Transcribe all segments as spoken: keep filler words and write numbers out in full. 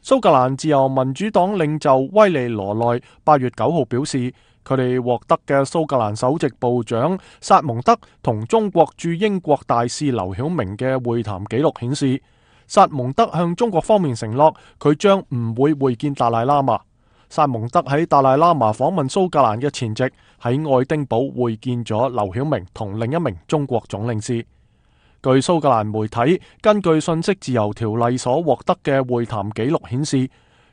蘇格蘭自由民主黨領袖威利羅內八月九號表示，佢哋獲得嘅蘇格蘭首席部長薩蒙德同中國駐英國大使劉曉明嘅會談記錄顯示，薩蒙德向中國方面承諾佢將唔會會見達賴喇嘛。薩蒙德喺達賴喇嘛訪問蘇格蘭嘅前夕，喺愛丁堡會見咗劉曉明同另一名中國總領事。據蘇格蘭媒體根據信息自由條例所獲得嘅會談記錄顯示，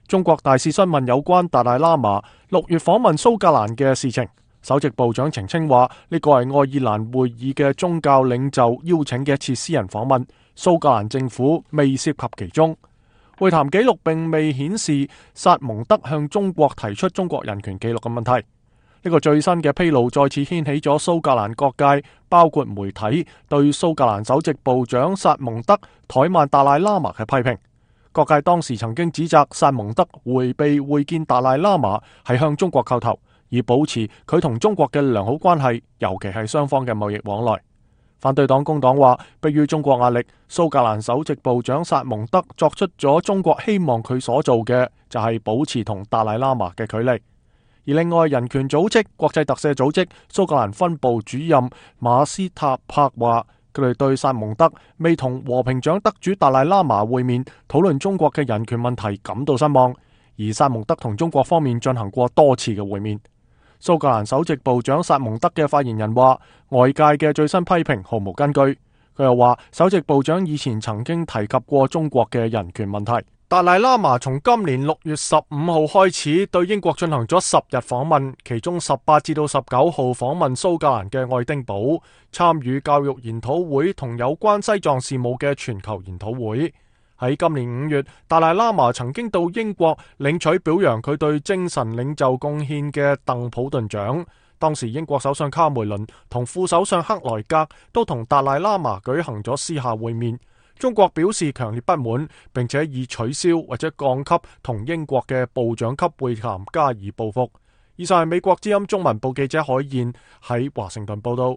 中國大使詢問有關達賴喇嘛六月訪問蘇格蘭嘅事情，首席部長澄清話呢個係愛爾蘭會議嘅宗教領袖邀請嘅一次私人訪問，蘇格蘭政府未涉及其中。會談記錄並未顯示薩蒙德向中國提出中國人權記錄嘅問題。呢個最新嘅披露再次掀起咗蘇格蘭各界，包括媒體對蘇格蘭首席部長薩蒙德怠慢達賴喇嘛嘅批評。各界當時曾經指責薩蒙德迴避會見達賴喇嘛係向中國叩頭，以保持佢同中國嘅良好關係，尤其係雙方嘅貿易往來。反對黨工黨話，迫於中國壓力，蘇格蘭首席部長薩蒙德作出咗中國希望佢所做嘅，就係保持同達賴喇嘛嘅距離。而另外，人權組織國際特赦組織蘇格蘭分部主任馬斯塔柏話，佢哋對薩蒙德未同和平獎得主達賴喇嘛會面討論中國嘅人權問題感到失望。而薩蒙德同中國方面進行過多次嘅會面。蘇格蘭首席部長薩蒙德嘅發言人話，外界嘅最新批評毫無根據。佢又話，首席部長以前曾經提及過中國嘅人權問題。達賴喇嘛從今年六月十五號開始對英國進行咗十日訪問，其中十八至到十九號訪問蘇格蘭嘅愛丁堡，參與教育研討會同有關西藏事務嘅全球研討會。喺今年五月，達賴喇嘛曾經到英國領取表揚佢對精神領袖貢獻嘅鄧普頓獎。當時英國首相卡梅倫同副首相克萊格都同達賴喇嘛舉行咗私下會面。中國表示強烈不滿，並且以取消或者降級同英國嘅部長級會談加以報復。以上係美國之音中文部記者海燕喺華盛頓報道。